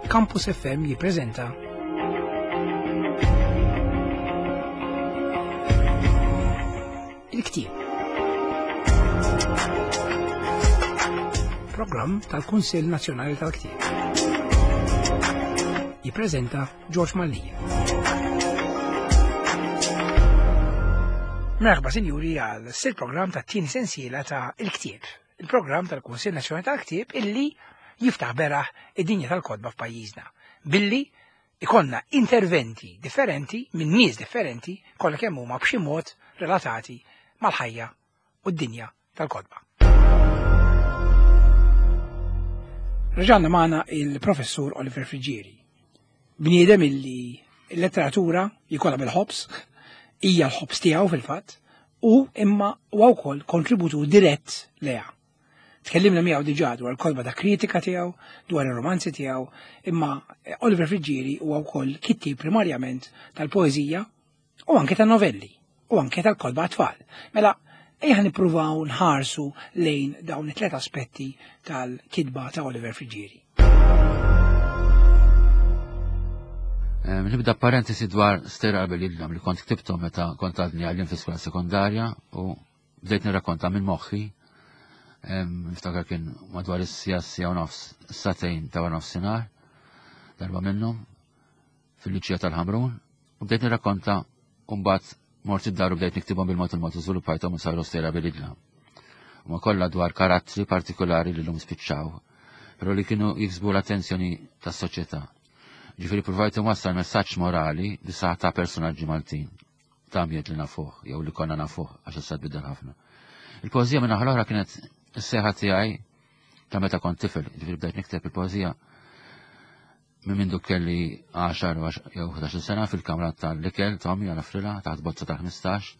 Campus FM jippreżenta Il-Ktieb. Programm tal-Kunsill Nazzjonali tal-Ktieb. Jippreżenta George Mallia. Merħba sinjuri għal sil programm ta' tieni sensiela ta' Il-Ktieb, il-programm tal-Kunsill Nazzjonali tal-Ktieb illi jiftaħ beraħ id-dinja tal-kotba f'pajjiżna billi ikonna interventi differenti minn nies differenti kollha kemm huma b'xi mod relatati mal-ħajja u d-dinja tal-kotba. Reġanna magħna il-professur Oliver Friġieri. Bniedem illi l-letteratura jkollha bil-ħobs, hija l-ħobs tiegħu fil-fatt, u imma huwa wkoll kontributur dirett leha. Tkellimna miegħu diġà dwar il-kotba ta' kritika tiegħu, dwar ir-romanzi tiegħu, imma Oliver Friġieri huwa wkoll kittieb primarjament tal-poeżija u anke tan-novelli u anke tal-kotba għat-tfal. Mela, ejja nippruvaw nħarsu lejn dawn it-tlet aspetti tal-kitba ta' Oliver Friġieri. Nibda parentesi dwar Stejra Qabel Jidlam li kont ktibthom meta kont għadni għallim fi skola sekondarja u bdejt nirrakkonta minn moħħi. Niftakar kien madwar is-sija sija u nofs satejn ta' nofsinhar darba minnhom fil-Liċija tal-Ħamrun u bdejt nirrakkonta u mbagħad mort id-dar u bdejt niktibhom bil-mod il-mod u żviluppajthom u saru stejra bil-idla. Huma kollha dwar karattri partikolari li llum spiċċaw, però li kienu jiksbu l-attenzjoni tas-soċjetà. Ġifieri provajt inwassal messaġġ morali bi saħħa ta' personaġġi Maltin ta' ambjent li nafuh jew li konna nafuh għax issa tbiddel ħafna. Il-poeżija minn naħa l-oħra kienet is-seħħa tiegħi ta' meta kont tifel, ġifieri bdejt nikteb il-poeżija Minn mindu kelli 10 jew 11 sena fil-kamra tal-ikel ta' ommi għal frila taħt bozza ta' 15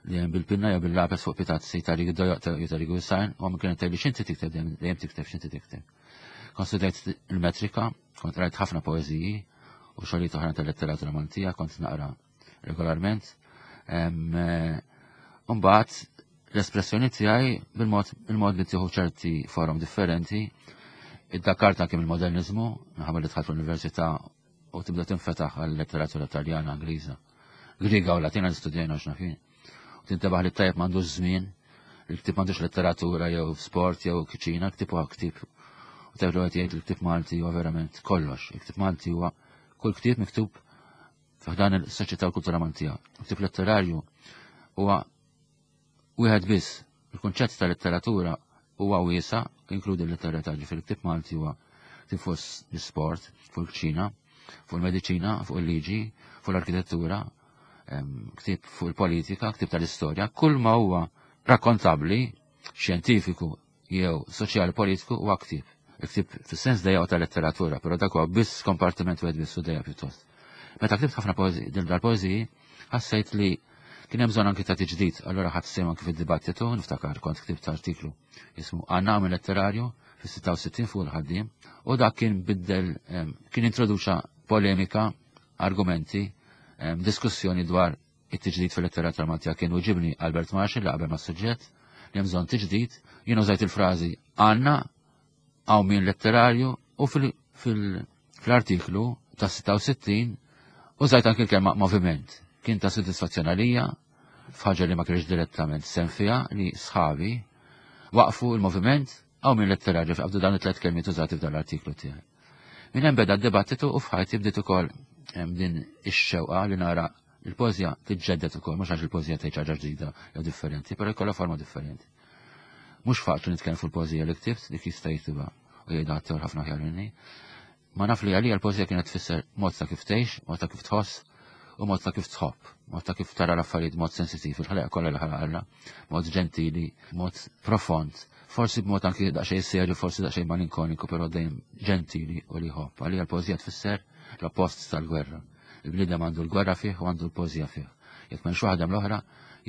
li hemm bil-pinna jew bil-lapes fuq pitazzi ta' rigu dojoq jew ta' rigu sajn u għam kienet tgħidli x'inti tikteb dejjem tikteb x'inti tikteb. Kont studjajt il-metrika, kont rajt ħafna poeżiji u xogħlijiet oħra tal-letteratura Maltija kont naqra regolarment. Eh, mbagħad l-espressjoni tiegħi bil-mod il-mod li tieħu ċerti forom differenti. Iddakkart anke mill-modernizmu, minħabba li dħalt l-università u tibda tinfetaħ għal letteratura Taljana, Ingliża, Griega u Latina li studjajna x'nafin. U tintebaħ li tajjeb m'għandux żmien, il-ktib m'għandux letteratura jew sport jew kiċina, ktib huwa ktib. U tajjeb li jgħid il-ktib Malti huwa verament kollox. Il-ktib Malti huwa kull ktib miktub f'dan il-soċjetà u kultura Maltija. Il-ktib letterarju huwa wieħed biss. Il-kunċett ta' letteratura huwa wiesa, inkludi l-letteratura ġifieri ktib Malti huwa ktieb fuq l-isport, fuq il-kċina, fuq il-mediċina, fuq il-liġi, fuq l-arkitettura, ktieb fuq il-politika, ktieb tal-istorja, kull ma huwa rakkontabbli, xjentifiku jew soċjali politiku huwa ktieb. Il-ktieb fis-sens dejja ta' letteratura, però dak huwa biss kompartiment wieħed biss u dejja pjuttost. Meta ktibt ħafna din dal-poeżiji, ħassejt li kien hemm bżonn anki ta' tiġdid, allura ħadd sehem anki fid-dibattitu, niftakar kont ktibt artiklu jismu Għannami Letterarju fis-66 fuq il-ħaddiem, u dak kien biddel kien introduċa polemika, argumenti, diskussjoni dwar it-tiġdid fil-letteratura Maltija kien uġibni Albert Marshall li qabel mas-suġġett li hemm bżonn tiġdid, jien użajt il-frażi għandna hawn min letterarju u fil-artiklu ta' 66 użajt anki l-kelma moviment. Kien ta' sodisfazzjon għalija f'ħaġa li ma kienx direttament sem fiha li sħabi waqfu il-moviment hawn min letterarju f'qabdu dan it-tlet kelmiet użati f'dan l-artiklu tiegħi. Minn hemm beda d-dibattitu u f'ħajti bdiet ukoll din ix-xewqa li nara il-poeżija tiġġedded ukoll, mhux għax il-poeżija tgħid ħaġa ġdida jew differenti, però jkollha forma differenti. Mhux faċli nitkellem fuq il-poeżija li ktibt, dik jista' jiktibha u jgħidha ħaddieħor ħafna aħjar minni. Ma naf li għalija l-poeżija kienet tfisser mod ta' kif tgħix, mod ta' kif tħoss u mod ta' kif tħobb, mod ta' kif tara l-affarijiet mod sensittiv, il-ħalqa kollha li ħalaq Alla, mod ġentili, mod profond, forsi b'mod anki daqsxejn serju, forsi daqsxejn malinkoniku, però dejjem ġentili u li jħobb. Għalija l-poeżija tfisser l-oppost tal-gwerra. Il-bniedem għandu l-gwerra fih u għandu l-poeżija fih. Jekk m'hemmx waħda hemm l-oħra,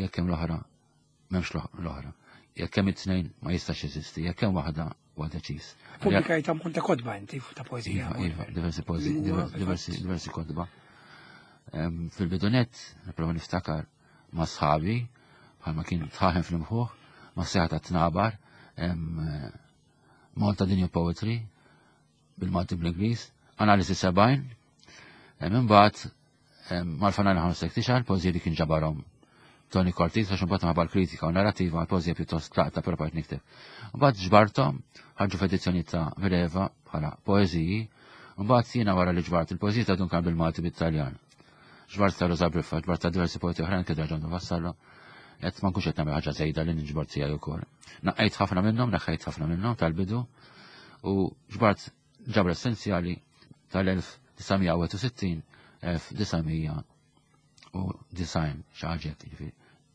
jekk hemm l-oħra m'hemmx l-oħra. Jekk hemm it-tnejn ma jistax jeżisti, jekk hemm waħda huwa deċiż. Pubblikajt ammont ta' kotba inti ta' poeżija. Iva, iva, diversi poeżiji, diversi, diversi kotba. Fil-bidunet, nipprova niftakar ma' sħabi, bħalma kien tħaħen fl-imħuħ, ma' seħa ta' tnabar, Malta Dinja Poetry, bil-Malti bl-Ingliż. Analiżi 70. Imbagħad mal-fanali ħamsek tixgħal poeżiji li kien ġabarhom Tony Cortis għax imbagħad minħabba l-kritika u narrativa l-poeżija pjuttost tlaqta però bqajt nikteb. Imbagħad ġbarthom ħarġu f'edizzjoni ta' Mireva bħala poeżiji, imbagħad jiena wara li ġbart il-poeżiji ta' Duncan bil-Malti bit-Taljan. Ġbart ta' Rosa Briffa, ġbart ta' diversi poeti oħrajn kif Ġandu Vassallo, qed ma nkunx qed nagħmel ħaġa żejda li niġbor tiegħi wkoll. Naqqejt ħafna minnhom, neħħejt ħafna minnhom tal-bidu u ġbart ġabra essenzjali tal-1961 1990 xi ħaġa hekk, jiġifieri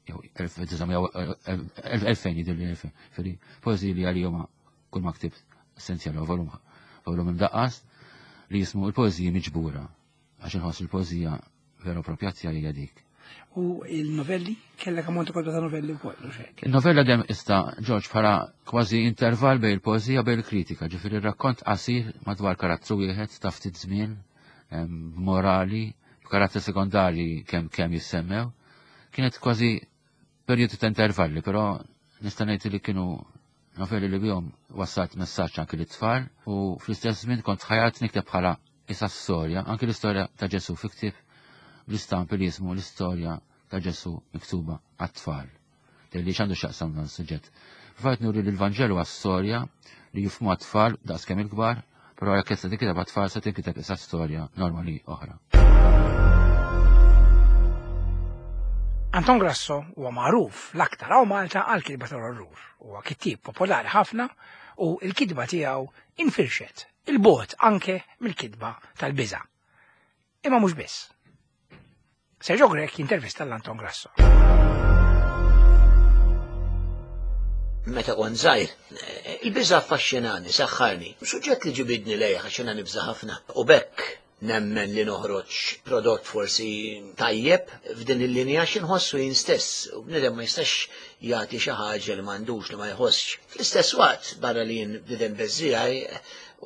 jew 1900 jidhirli 2000, jiġifieri poeżiji li għalija huma kull ma ktibt essenzjali u volum volum imdaqqas li jismu l-poeżiji miġbura għax inħoss il-poeżija vera propja tiegħi hija dik. U il-novelli? Kellek ammont ukoll ta' novelli wkoll, u xek. Il-novella dejjem ista' Ġorġ bħala kważi intervall bejn il-poeżija bejn il-kritika, ġifieri rakkont qasir madwar karattru wieħed ta' ftit żmien, b'morali, b'karattri sekondarji kemm kemm jissemmew. Kienet kważi perjodu ta' intervalli, però nista' ngħid li kienu novelli li bihom wassalt messaġġ anki lit-tfal u fl-istess żmien kont ħajat nikteb bħala isa storja, anki l-istorja ta' Ġesu fi ktieb bl-istampi li jismu l-istorja ta' Ġesu miktuba għat-tfal. Li x'għandu x'jaqsam dan suġġett. Fajt nuri li l-Vanġelu għas-storja li jifhmu għat-tfal daqs kemm il-kbar, però jekk se tinkiteb għat-tfal se tinkiteb isa storja normali oħra. Anton Grasso huwa magħruf l-aktar hawn Malta għal kitba tal-orrur. Huwa kittieb popolari ħafna u l-kitba tiegħu infirxet il-bogħod anke mill-kitba tal-biża'. Imma mhux biss. Sergio Grech jintervista l-Anton Grasso. Meta kont żgħir, il-biża' affaxxinani, saħħarni. Suġġett li ġibidni lejh għax jiena nibża' ħafna. U b'hekk nemmen li noħroġ prodott forsi tajjeb f'din il-linja għax inħossu jien stess. U bniedem ma jistax jagħti xi ħaġa li m'għandux li ma jħossx. Fl-istess waqt, barra li jien bniedem beżżiegħi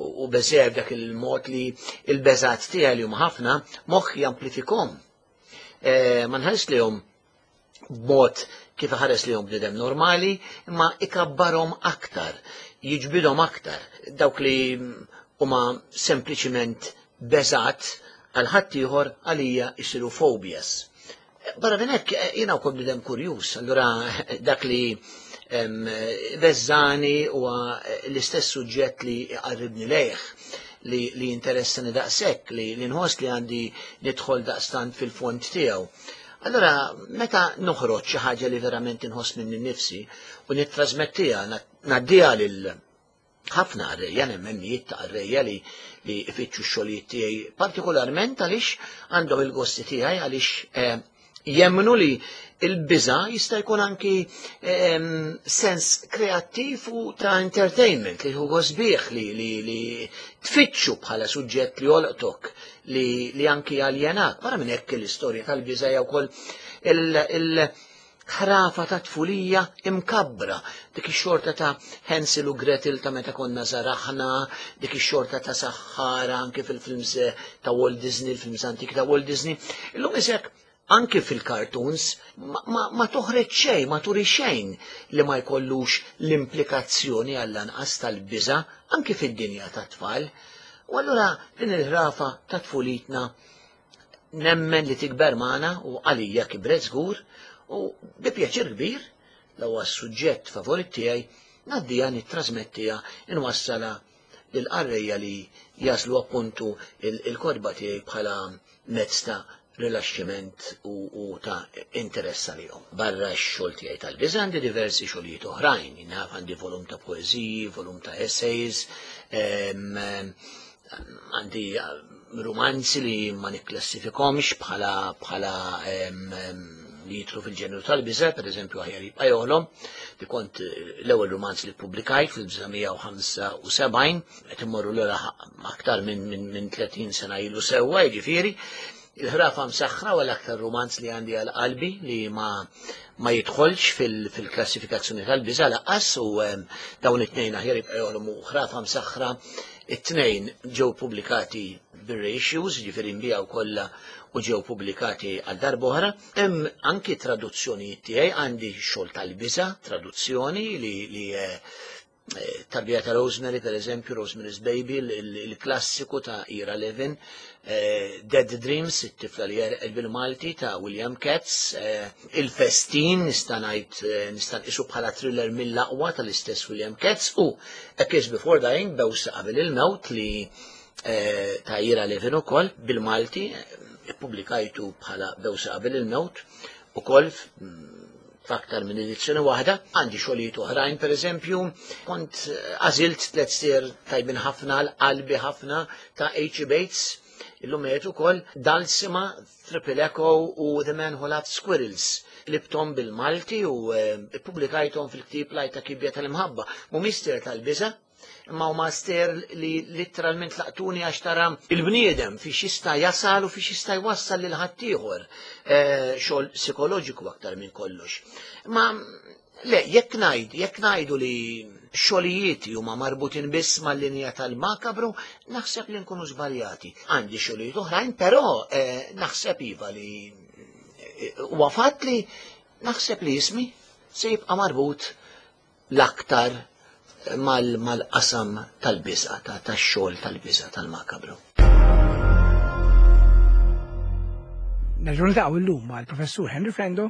u beżżiegħi b'dak il-mod li l-beżgħat tiegħi li huma ħafna, moħħi jamplifikhom. Eh, ma nħares lihom b'mod kif iħares lihom bniedem normali, imma ikabbarhom aktar, jiġbidhom aktar. Dawk li huma sempliċiment beżat għal ħaddieħor għalija jsiru phobias. Barra minn hekk jiena wkoll bniedem kurjuż, allura dak li beżani huwa l-istess suġġett li jqarribni lejh li, li jinteressani daqshekk, li, li nħoss li għandi nidħol daqstant fil-fond tiegħu. Allora, meta noħroġ xi ħaġa li verament inħoss minni nnifsi u nittrasmettiha, ngħaddiha lil ħafna qarrejja, nemmen mijiet ta' qarrejja li li ifittxu x-xogħlijiet tiegħi, partikolarment għaliex għandhom il-gosti tiegħi għaliex eh, jemmnu li il-biża jista' jkun anki ehm, sens kreattiv u ta' entertainment li huwa sbieħ li, li, li tfittxu bħala suġġett li jolqtok li, li anki aljenak. Barra minn hekk l-istorja tal-biża hija wkoll il- ħrafa ta' tfulija imkabbra, dik ix-xorta ta' Hansel u Gretel ta' meta konna żaraħna, dik ix-xorta ta' saħħara anke fil-films ta' Walt Disney, il-films antiki ta' Walt Disney. Illum isek anke fil-cartoons ma, ma, ma toħreġ xejn, ma turi xejn li ma jkollux l-implikazzjoni għall-anqas tal-biża' anke fid-dinja tat-tfal. U allura din il-ħrafa ta' tfulitna nemmen li tikber magħna u għalija kibret żgur u bi pjaċir kbir l huwa s-suġġett favorit tiegħi ngħaddiha nittrasmettiha inwassalha lill-qarrejja li jaslu appuntu il-kotba tiegħi bħala mezz ta' rilaxximent u ta' interess għalihom. Barra x-xogħol tiegħi tal-biża' għandi diversi xogħlijiet oħrajn, naf għandi volum ta' poeżiji, volum ta' essays, għandi rumanzi li ma nikklassifikomx bħala bħala li jitlu fil-ġenru tal-biża, per eżempju aħjar jibqa' joħlom, li kont l-ewwel rumanz li ppubblikajt fil-1975, qed immorru lura aktar minn min, min 30 sena ilu sewwa, jiġifieri, il-ħrafa msaħħra u l-aktar rumanz li għandi għal qalbi li ma ma jidħolx fil-klassifikazzjoni tal-biża laqqas u dawn it-tnejn aħjar jibqa' joħlom u ħrafa msaħħra It-tnejn ġew pubblikati bir-reissues, jiġifieri nbiegħu kollha u ġew pubblikati għal darb'oħra. Hemm anki traduzzjonijiet tiegħi, għandi xogħol tal-biża', traduzzjoni li, li eh, Tarbija ta' Rosemary, per eżempju, Rosemary's Baby, il-klassiku ta' Ira Levin, eh, Dead Dreams, it-tifla li jerqed bil-Malti ta' William Katz, eh, Il-Festin, nista' ngħid eh, nista' nqisu bħala thriller mill-aqwa tal-istess William Katz u A Kiss Before Dying, Bewsa qabel il-mewt li ta' Ira Levin ukoll bil-Malti, ippubblikajtu bħala Bewsa qabel il-mewt ukoll f'aktar minn edizzjoni waħda. Għandi xogħlijiet oħrajn, pereżempju, kont eh, għażilt tliet stier tajbin ħafna l-qalbi ħafna ta' H. Bates, illum qed ukoll Dulcima, Triple Echo u The Man Who Loved Squirrels. Libtom bil-Malti u eh, ippubblikajthom fil-ktieb Lajta Kibja tal-Imħabba. Mhumiex stier tal-biża', imma huma stejjer li litteralment laqtuni għax tara il-bniedem fiex jista' jasal u fiex jista' jwassal lil ħaddieħor eh, xogħol psikoloġiku aktar minn kollox. Ma le, jekk ngħid, jekk ngħidu li xogħlijieti huma marbutin biss mal-linja tal-makabru, naħseb li nkunu żbaljati. Għandi xogħlijiet oħrajn, però eh, naħseb iva li eh, huwa fatt li naħseb li ismi se jibqa' marbut l-aktar mal-qasam tal-biża', tax-xogħol tal-biża' tal-makabru. Nerġgħu niltaqgħu llum mal-Professur Henry Frendo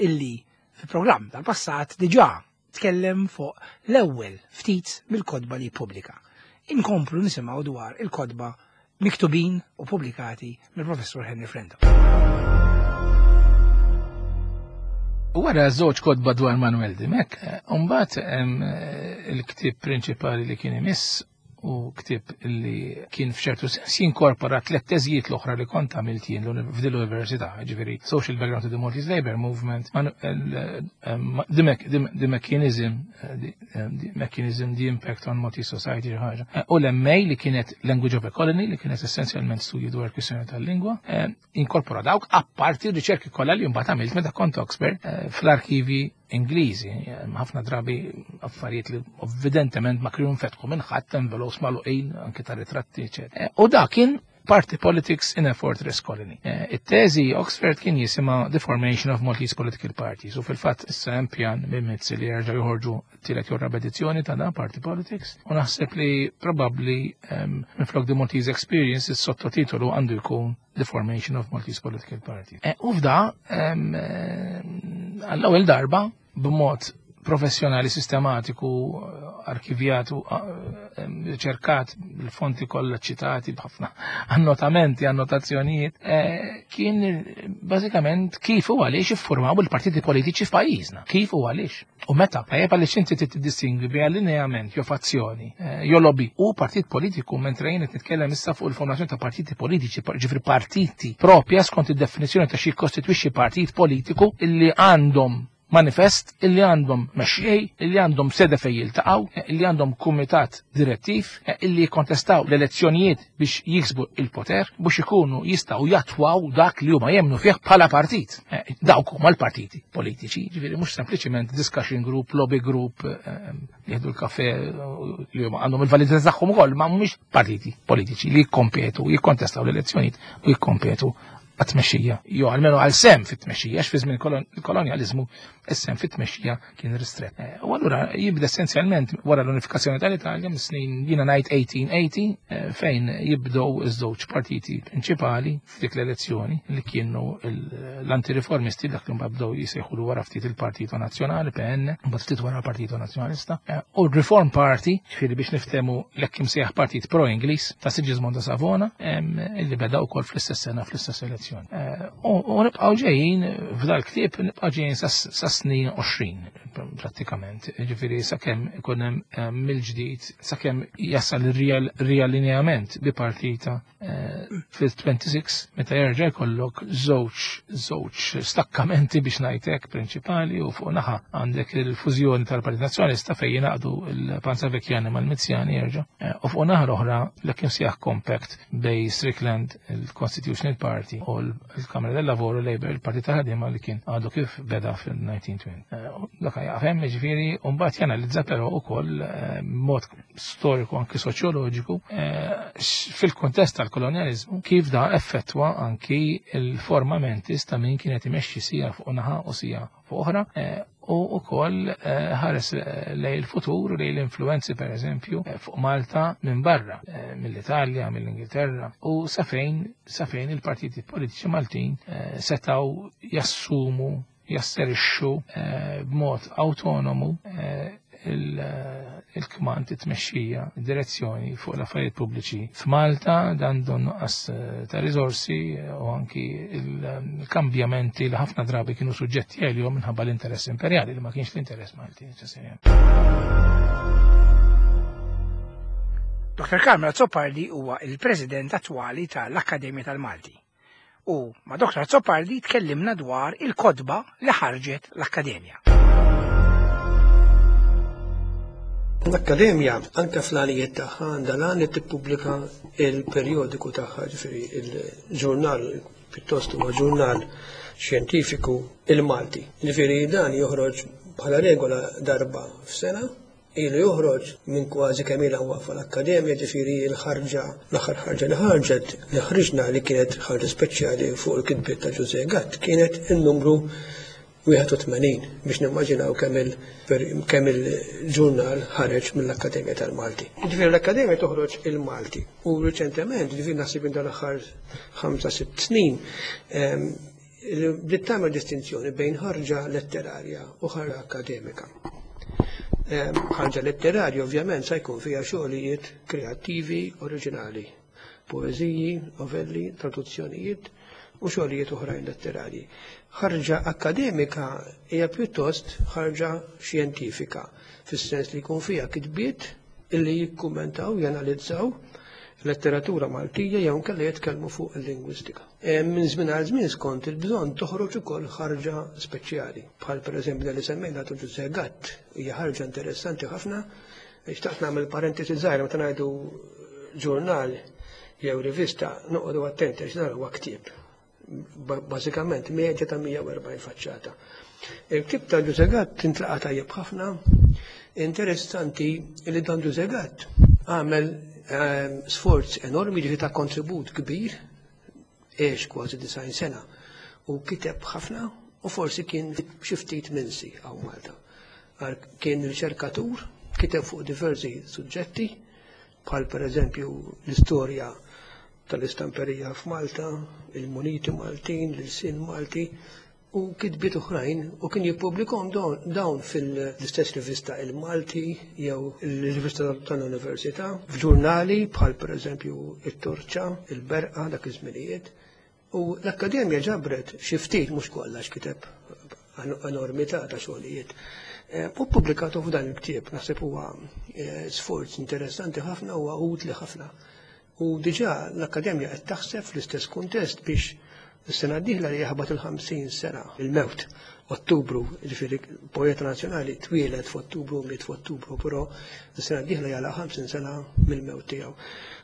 illi fil-programm tal-passat diġà tkellem fuq l-ewwel ftit mill-kotba li ppubblika. Inkomplu nisimgħu dwar il-kotba miktubin u pubblikati mill-Professur Henry Frendo. Wara żewġ kotba dwar Manuel Dimech, eh, mbagħad eh, il-ktieb prinċipali li kien imiss u ktieb li kien f'ċertu sens jinkorpora tliet teżijiet l-oħra li kont għamilt jien f'din l-università, ġifieri Social Background to the Maltese Labour Movement, eh, the Mechanism, the Mechanism, the Impact on Maltese Society xi ħaġa. Eh, u l-MA li kienet Language of a Colony li kienet essenzjalment studju dwar kwistjoni tal-lingwa, eh, inkorpora dawk apparti riċerki kollha li mbagħad għamilt meta kont Oxford eh, fl-arkivi Ingliżi, ħafna drabi affarijiet li evidentement ma kienu nfetħu minn ħadd envelopes magħluqin anke ta' ritratti, eċetera. U dak kien Party Politics in a Fortress Colony. Eh, it-teżi Oxford kien jisimha The Formation of Maltese Political Parties u fil-fatt issa hemm pjan minn Mizzi li jerġa' joħorġu tielet jew raba' edizzjoni ta' dan Party Politics u naħseb li probabbli ehm, minflok The Maltese Experience is-sottotitolu għandu jkun The Formation of Maltese Political Parties. Eh, u f'da ehm, eh, għall-ewwel darba b'mod professjonali sistematiku arkivjat u riċerkat bil-fonti kollha ċitati b'ħafna annotamenti, annotazzjonijiet, eh, kien bażikament kif u għaliex iffurmaw il-partiti politiċi f'pajjiżna. Kif u għaliex. U meta, tajjeb għaliex inti tiddistingwi bejn allineament jew fazzjoni, eh, jew lobby u partit politiku mentre jien qed nitkellem issa fuq il-formazzjoni ta' partiti politiċi, ġifri partiti propja skont id-definizzjoni ta' xi kostitwixxi partit politiku illi għandhom manifest illi għandhom mexxej, illi għandhom sede fejn jiltaqgħu, illi għandhom kumitat direttiv, illi jikkontestaw l-elezzjonijiet biex jiksbu il-poter, biex ikunu jistgħu jattwaw dak li huma jemmnu fih bħala partit. Eh, dawk huma l-partiti politiċi, ġifieri mhux sempliċiment discussion group, lobby group, eh, jieħdu l-kafe li huma għandhom il-validità tagħhom ukoll, ma mhumiex partiti politiċi li jikkompetu, jikkontestaw l-elezzjonijiet u jikkompetu għat-tmexxija, jew almenu għal sem fit-tmexxija, għax fi żmien kolonjaliżmu is-sem fit-tmexxija kien ristrett. Eh, u allura jibda essenzjalment wara l-unifikazzjoni tal-Italja mis-snin jiena ngħid 1880 eh, fejn jibdew iż-żewġ partiti prinċipali f'dik l-elezzjoni li kienu l-antireformisti dak li mbagħad bdew jisejħulu wara ftit il-Partito Nazzjonali PN, mbagħad ftit wara Partito Nazzjonalista, eh, u r-Reform Party, ġifieri biex niftehmu l-hekk imsejjaħ partit pro-Ingliż ta' Sigismondo Savona, illi beda wkoll fl-istess sena fl-istess elezzjoni. Eh, u nibqgħu ġejjin f'dal-ktieb nibqgħu ġejjin sa snin 20 prattikament, ġifieri sakemm ikun hemm mill-ġdid sakemm jasal ir-riallineament bi partita Eh, fil-26 meta jerġa' jkollok żewġ żewġ stakkamenti biex ngħidlek prinċipali u fuq naħa għandek il-fużjoni tal-Partit Nazzjonalista fejn jingħaqdu l-Panzavekjani mal-Mizzjani jerġa' eh, u fuq naħa l-oħra l kien sjaħ compact bej Strickland il-Constitutional Party u l-Kamra del Lavoro Labour il-Partit tal-Ħaddiema li kien għadu kif beda fil-1920. Eh, dak jaqfem ġifieri u mbagħad janalizza però ukoll mod storiku anki soċjoloġiku eh, fil-kontest tal-kolonjalizmu kif da effettwa anki il-formamentis ta' min kienet imexxi sija fuq naħa u sija fuq oħra eh, u wkoll ħares lejn il-futur, lejn l-influenzi pereżempju fuq Malta minn barra, mill-Italja, mill-Ingilterra, u sa fejn il-partiti politiċi Maltin setgħu jassumu, jasserixxu b'mod autonomu il-kmand, it-tmexxija, id-direzzjoni fuq l-affarijiet pubbliċi. F'Malta dan donnu nuqqas ta' riżorsi u anki il-kambjamenti li ħafna drabi kienu suġġetti għalihom minħabba l-interess imperjali li ma kienx l-interess Malti neċessarjament. Dr. Carmel Azzopardi huwa il-President attwali tal-Akkademja tal-Malti. U ma' Dr. Azzopardi tkellimna dwar il-kotba li ħarġet l-Akkademja. L-Akkademja anke fl-għanijiet tagħha għandha l-għan li tippubblika il-perjodiku tagħha, ġifieri il-ġurnal, pjuttost huwa ġurnal xjentifiku, il-Malti. Ġifieri dan joħroġ bħala regola darba f'sena, ilu joħroġ minn kważi kemm ilha waqfa l-Akkademja, ġifieri l-ħarġa, l-aħħar ħarġa li ħarġet, li ħriġna li kienet ħarġa speċjali fuq il-kitbiet ta' Ġużè Gatt, kienet in-numru 81, biex nimmaġinaw kemm il-ġurnal ħareġ mill-Akkademja tal-Malti. Ġifieri l-Akkademja toħroġ il-Malti u riċentement, ġifieri naħseb minn dal-aħħar 5-6 snin, bdiet tagħmel distinzjoni bejn ħarġa letterarja u ħarġa akkademika. Ħarġa letterarja ovvjament se jkun fiha xogħlijiet kreattivi oriġinali, poeżiji, novelli, traduzzjonijiet u xogħlijiet oħrajn letterarji. Ħarġa akkademika hija pjuttost ħarġa xjentifika, fis-sens li jkun fiha kitbiet illi jikkummentaw, janalizzaw letteratura Maltija jew inkella jitkellmu fuq il-lingwistika. Minn żmien għal żmien skont il-bżonn toħroġ ukoll ħarġa speċjali, bħal pereżempju li semmejna ta' Ġużè Gatt, hija ħarġa interessanti ħafna. Xtaqt nagħmel parentesi żgħira, meta ngħidu ġurnal jew rivista noqogħdu attenti għax dan huwa ktieb. Bażikament medja ta' 140 faċċata. Il-ktieb ta' Ġużè Gatt intlaqa' tajjeb ħafna. Interessanti li dan Ġużè Gatt għamel sforz enormi, ġifieri ta' kontribut kbir, għex kważi 90 sena u kiteb ħafna u forsi kien xi ftit minsi hawn Malta. Kien riċerkatur, kiteb fuq diversi suġġetti, bħal pereżempju l-istorja tal-istamperija f'Malta, il-muniti Maltin, l-ilsien Malti, u kitbiet oħrajn, u kien jippubblikhom dawn fil-istess rivista Il-Malti jew il-rivista tal-Università, f'ġurnali bħal pereżempju it-Torċa, il-Berqa dak iż-żminijiet. U l-Akkademja ġabret xi ftit, mhux kollha x'kiteb enormità ta' xogħlijiet. U ppubblikatu f'dan il-ktieb, naħseb huwa sforz interessanti ħafna u utli ħafna. U diġà l-Akkademja qed taħseb fl-istess kuntest biex is-sena d-dieħla li jaħbat il-50 sena il-mewt, Ottubru, ġifieri poeta nazzjonali twieled f'Ottubru, miet f'Ottubru, però is-sena d-dieħla jagħlaq 50 sena mill-mewt tiegħu.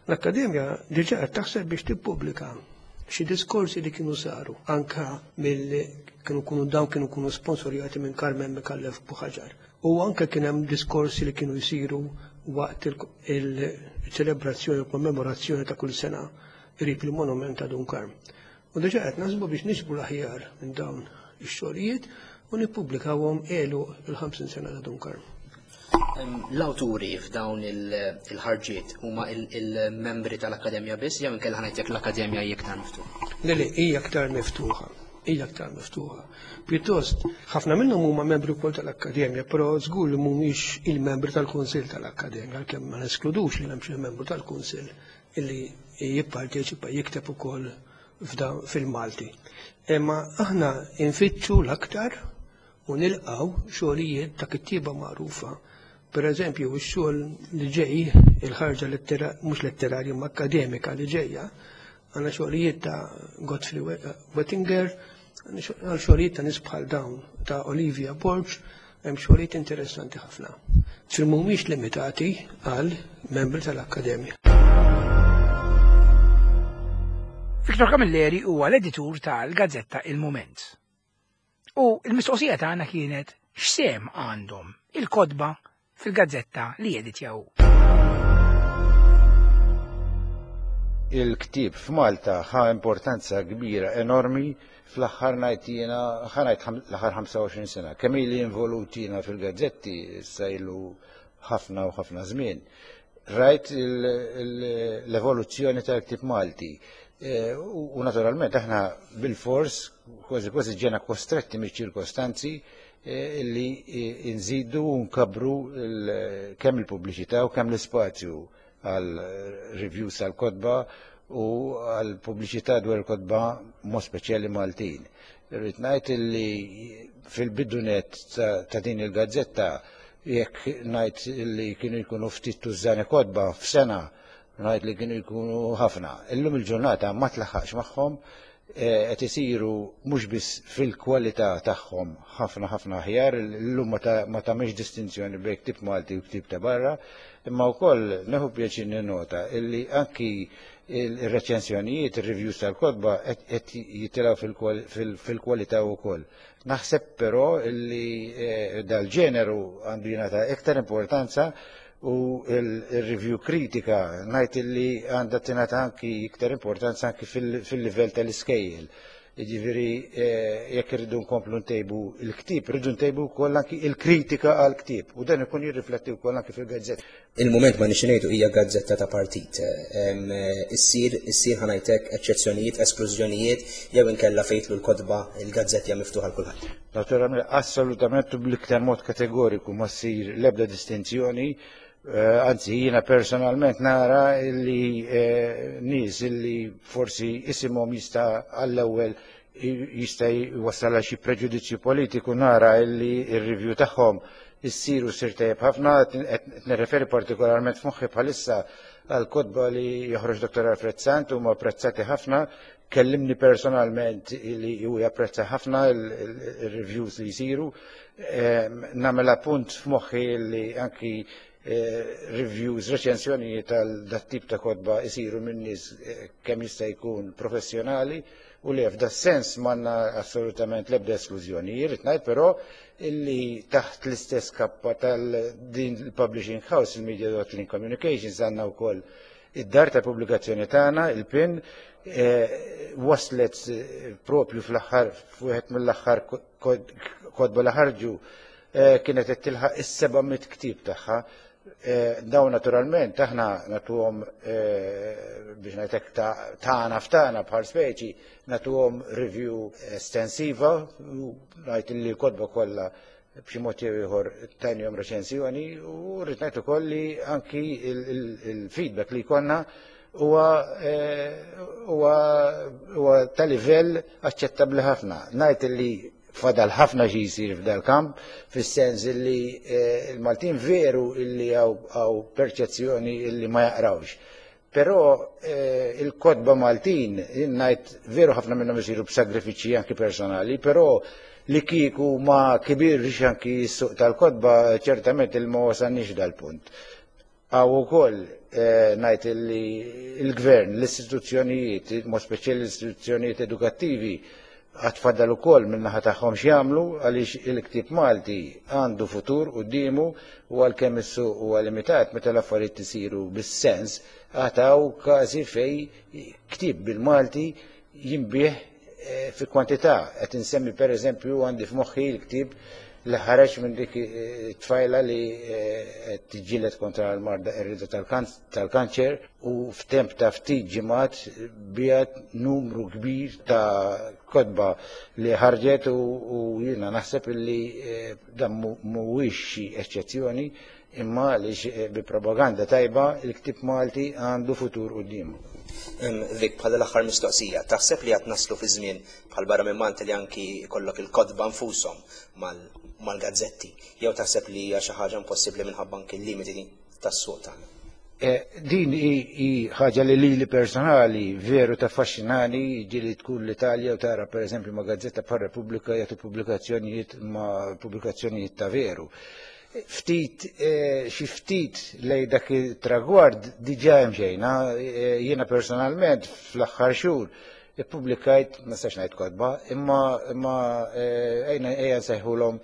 L-Akkademja diġà qed taħseb biex tippubblika xi diskorsi li kienu saru anka mill kienu kunu dawn kienu kunu sponsorjati minn Carmen Micallef Buhagiar. U anke kien hemm diskorsi li kienu jsiru waqt il-ċelebrazzjoni u kommemorazzjoni ta' kull sena qrib il-monument ta' Dun Karm. U diġà qed naħsbu biex niġbru l-aħjar minn dawn ix-xogħlijiet u nippubblikawhom għelu il-50 sena ta' Dun Karm. L-awturi f'dawn il-ħarġiet huma il-membri tal-Akkademja biss jew inkella ħa ngħid jekk l-Akkademja hija iktar miftuħa? Le, le, hija aktar miftuħa. Hija aktar miftuħa. Pjuttost, ħafna minnhom huma membri wkoll tal-Akkademja, però żgur li mhumiex il-membri tal-Kunsill tal-Akkademja, għalkemm ma neskludux li hemm xi membru tal-Kunsill illi jipparteċipa jikteb ukoll fil-Malti. Imma aħna nfittxu l-aktar u nilqgħu xogħlijiet ta' kittieba magħrufa. Per eżempju, ix-xogħol li ġej, il-ħarġa mhux letterarja ma akkademika li ġejja, għandna xogħlijiet ta' Godfrey Wettinger, għandna xogħlijiet ta' nies bħal dawn ta' Olivia Borg, hemm xogħlijiet interessanti ħafna. Ġifieri mhumiex limitati għal membri tal-Akkademja. Victor Camilleri huwa l-editur tal-gazzetta Il Mument. U l-mistoqsija tagħna kienet x'sehem għandhom il-kotba fil-gazzetta li jeditjaw. Il-ktieb f'Malta ħa importanza kbira enormi. fl-aħħar ngħid jiena, ħa ngħid l-aħħar 25 sena, kemm ili involut jiena fil-gazzetti issa ilu ħafna u ħafna żmien. Rajt l-evoluzzjoni tal-ktieb Malti. U naturalment aħna bil-fors kważi kważi ġena kostretti miċ-ċirkostanzi li nżidu u nkabru kemm il-pubbliċità u kemm l-ispazju għal reviews għal kotba u għal pubbliċità dwar il-kotba mod speċjali Maltin. Irrid ngħid li fil-bidunet ta' din il-gazzetta, jekk ngħid li kienu jkunu ftit tużżani kotba f'sena, ngħid li kienu jkunu ħafna. Illum il-ġurnata ma tlaħħaqx magħhom, qed isiru mhux biss fil-kwalità tagħhom ħafna ħafna aħjar, illum ma tagħmilx distinzjoni bejn ktieb Malti u ktieb ta' barra, imma wkoll neħu pjaċir ninnota illi anki il-reċensjonijiet, il-reviews tal-kotba qed jitilgħu fil-kwalità wkoll. Naħseb però illi dal-ġeneru għandu jingħata iktar importanza u il-review kritika ngħid illi għandha tingħata anki iktar importanza anki fil-livell tal-iskejjel. Jiġifieri jekk irridu nkomplu ntejbu il-ktieb, irridu ntejbu wkoll anki il-kritika għall-ktieb u dan ikun jirrifletti wkoll anki fil-gazzetta. Il-Mument ma nix ngħidu hija gazzetta ta' partit. Issir ħa ngħidlek eċċezzjonijiet, esklużjonijiet jew inkella fejtlu l-kotba, il-gazzetti hija miftuħa għal kulħadd? Naturalment, assolutament u bl-iktar mod kategoriku ma ssir l-ebda distinzjoni. Anzi, jiena personalment nara li nies li forsi isimhom jista' għall-ewwel jista' jwassal xi preġudizzju politiku, nara li r-review tagħhom issiru sir tajjeb ħafna. Qed nirreferi partikolarment f'moħħi bħalissa għal kotba li joħroġ Dr. Alfred Sant, huma apprezzati ħafna, kellimni personalment li hu japprezza ħafna il-reviews li jsiru. Nagħmel appunt f'moħħi li anki reviews, reċensjonijiet tal dat tip ta' kotba isiru minn nies kemm jista' jkun professjonali u li f'da sens m'għandna assolutament l-ebda esklużjoni. Irrid ngħid però illi taħt l-istess kappa tal-din il-publishing house, il-Media Link Communications, għandna wkoll id-dar ta' pubblikazzjoni tagħna, il-PIN, waslet propju fl-aħħar, f'wieħed mill-aħħar kotba li ħarġu, kienet qed tilħaq is-700 ktieb tagħha. Dawn naturalment aħna nagħtuhom, biex ngħidlek, tagħna f'tagħna bħal speċi nagħtuhom review estensiva u ngħid li l-kotba kollha b'xi mod jew ieħor tajnihom reċensjoni u rrid ngħid ukoll li anki il-feedback li jkollna huwa ta' livell aċċettabbli ħafna. Ngħid li fadal ħafna xi jsir f'dal-kamp, fis-sens li il-Maltin veru illi hawn perċezzjoni illi ma jaqrawx. Però il-kotba Maltin, ngħid veru ħafna minnhom isiru b'sagrifiċċji anki personali, però li kieku ma kibirx anki s-suq tal-kotba, ċertament il ma wasalniex dal-punt. Hawn ukoll ngħid li il-gvern, l-istituzzjonijiet, mod speċjali l-istituzzjonijiet edukattivi, għad fadal ukoll min-naħa tagħhom x'jagħmlu għaliex il-ktieb Malti għandu futur quddiemu u għalkemm is-suq huwa limitat, meta l-affarijiet isiru bis-sens, għad hawn każi fejn ktieb bil-Malti jinbiegħ fi kwantità. Qed insemmi pereżempju għandi f'moħħi l-ktieb li ħareġ minn dik it-tfajla li qed tiġġieled kontra l-marda qerrieda tal-kanċer u f'temp ta' ftit ġimgħat biegħet numru kbir ta' kotba li ħarġet u jiena naħseb illi dan mhuwiex xi eċċezzjoni, imma għaliex bi propaganda tajba il-ktieb Malti għandu futur quddiemu. Vic, bħala l-aħħar mistoqsija, taħseb li qed naslu fi żmien bħal barra minn Malta li anki jkollok il-kotba nfushom mal-gazzetti, jew taħseb li hija xi ħaġa impossibbli minħabba anki l-limiti tas-suq tagħna? Din hi ħaġa li lili personali veru taffaxxinani, ġieli tkun l-Italja u tara pereżempju ma' gazzetta bħal Repubblika jagħtu pubblikazzjonijiet ma' pubblikazzjonijiet ta' veru. Ftit, xi ftit lej dak it-tragward diġà hemm xejna. Jiena personalment fl-aħħar xhur ippubblikajt, ma nistax ngħid kotba, imma ejja nsejħulhom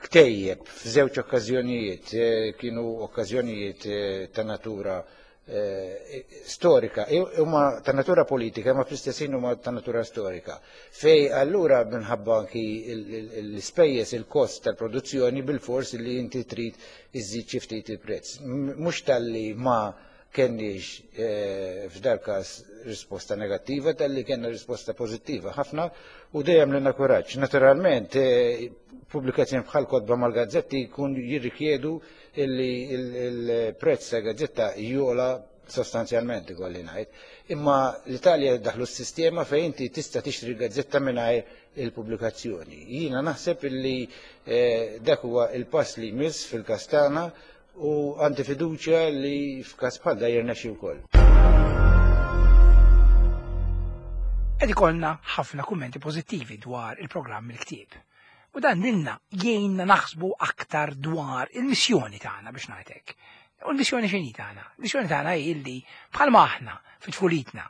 ktejjeb f'żewġ okkażjonijiet, kienu okkażjonijiet ta' natura storika, huma ta' natura politika, ma fl-istess ħin huma ta' natura storika. Fej allura minħabba anki l-ispejjeż, il-kost tal-produzzjoni bil-fors li inti trid iżżid xi ftit il-prezz. Mhux talli ma kenniex f'dal każ risposta negattiva, talli kellna risposta pożittiva ħafna u dejjem lilna kuraġġ. Naturalment, pubblikazzjoni bħal kotba mal-gazzetti jkun jirrikjedu illi il-prezz ta' gazzetta jola sostanzjalment, ikolli ngħid. Imma l-Italja daħlu s-sistema fejn inti tista' tixtri gazzetta mingħajr il-pubblikazzjoni. Jiena naħseb illi dak huwa il-pass li jmiss fil-każ tagħna u għandi fiduċja li f'każ bħal da jirnexxi wkoll. Qed ikollna ħafna kummenti pożittivi dwar il-programm Il-Ktieb. U dan lilna jgħinna naħsbu aktar dwar il-missjoni tagħna biex ngħidlek. U l-missjoni x'inhi tagħna? Il-missjoni tagħna hi li bħalma aħna fi tfulitna,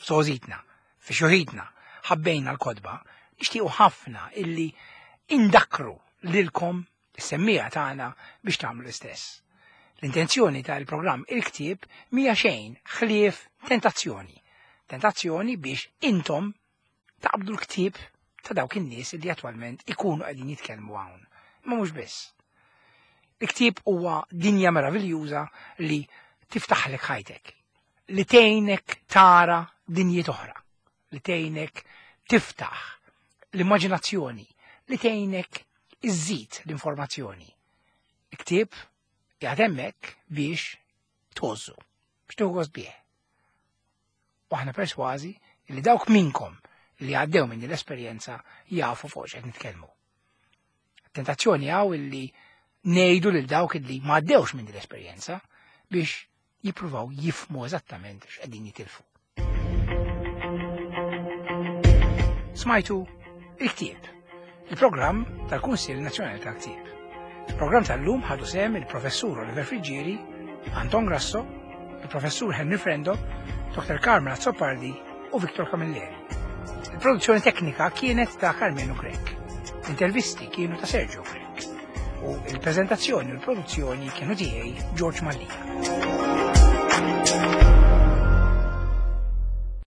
f'żgħożitna, fi xjuħitna, ħabbejna l-kotba, nixtiequ ħafna illi indakru lilkom is-semmiegħa tagħna biex tagħmlu l-istess. L-intenzjoni tal-programm Il-Ktieb mhija xejn ħlief tentazzjoni. Tentazzjoni biex intom taqbdu l-ktieb ta' dawk in-nies li attwalment ikunu qegħdin jitkellmu hawn. Ma mhux biss. Il-ktieb huwa dinja meraviljuża li tiftaħlek ħajtek, li tgħinek tara dinjiet oħra, li tgħinek tiftaħ l-immaġinazzjoni, li tgħinek iżżid l-informazzjoni. Il-ktieb qiegħed hemmhekk biex tgħożżu, biex tieħu gost bih. U aħna persważi li dawk minkom li għaddew minn l-esperjenza jafu fuq x'qed nitkellmu. Tentazzjoni hawn illi ngħidu lil dawk illi ma għaddewx minn l-esperjenza biex jippruvaw jifhmu eżattament x'qegħdin jitilfu. Smajtu Il-Ktieb, il-programm tal-Kunsill Nazzjonali tal-Ktieb. Il-programm tal-lum ħadu sehem il-Professur Oliver Friggieri, Anton Grasso, il-Professur Henry Frendo, Dr. Carmen Azzopardi u Victor Camilleri. Il-produzzjoni teknika kienet ta' Carmenu Grech. L-intervisti kienu ta' Sergio Grech. U il-prezentazzjoni u l-produzzjoni kienu tiegħi George Mallia.